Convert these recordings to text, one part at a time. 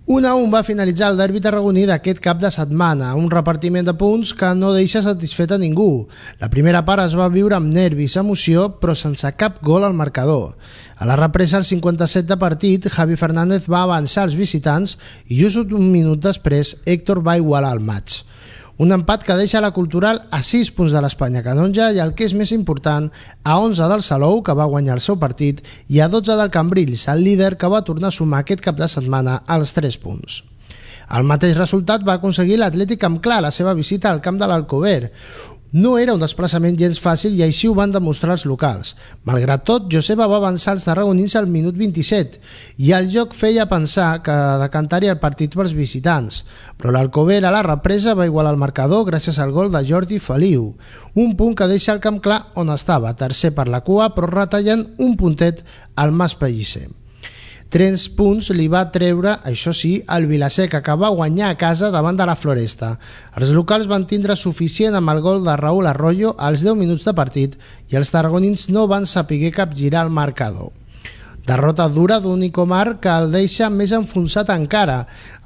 1-1 va finalitzar el derbi tarragoní d'aquest cap de setmana, un repartiment de punts que no deixa satisfet a ningú. La primera part es va viure amb nervis, emoció, però sense cap gol al marcador. A la represa, al 57 de partit, Javi Fernández va avançar als visitants i just un minut després Héctor va igualar el maig. Un empat que deixa la Cultural a 6 punts de l'Espanya Canonja i, el que és més important, a 11 del Salou, que va guanyar el seu partit, i a 12 del Cambrils, el líder que va tornar a sumar aquest cap de setmana als 3 punts. El mateix resultat va aconseguir l'Atlètic amb clar la seva visita al camp de l'Alcover. No era un desplaçament gens fàcil i així ho van demostrar els locals. Malgrat tot, Joseba va avançar els tarragonins al minut 27 i el joc feia pensar que decantaria el partit pels visitants, però l'Alcover a la represa va igualar el marcador gràcies al gol de Jordi Feliu, un punt que deixa el camp clar on estava, tercer per la cua, però retallant un puntet al Mas Pellicer. 3 punts li va treure, això sí, el Vilaseca, que va guanyar a casa davant de la Floresta. Els locals van tindre suficient amb el gol de Raúl Arroyo als 10 minuts de partit i els tarragonins no van saber capgirar el marcador. Derrota dura d'un Icomar que el deixa més enfonsat encara.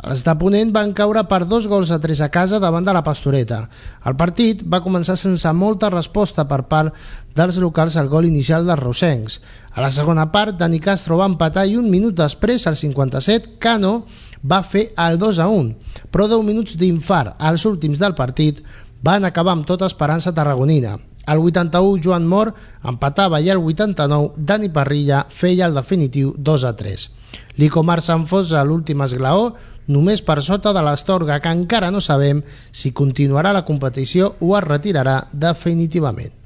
Els de Ponent van caure per 2-3 a casa davant de la Pastoreta. El partit va començar sense molta resposta per part dels locals al gol inicial dels rosencs. A la segona part, Dani Castro va empatar i un minut després, al 57, Cano va fer el 2-1. Però 10 minuts d'infart als últims del partit van acabar amb tota esperança tarragonina. Al 81 Joan Mor empatava i al 89 Dani Parrilla feia el definitiu 2-3. L'Icomar s'enfonsa a l'últim esglaó només per sota de l'Astorga, que encara no sabem si continuarà la competició o es retirarà definitivament.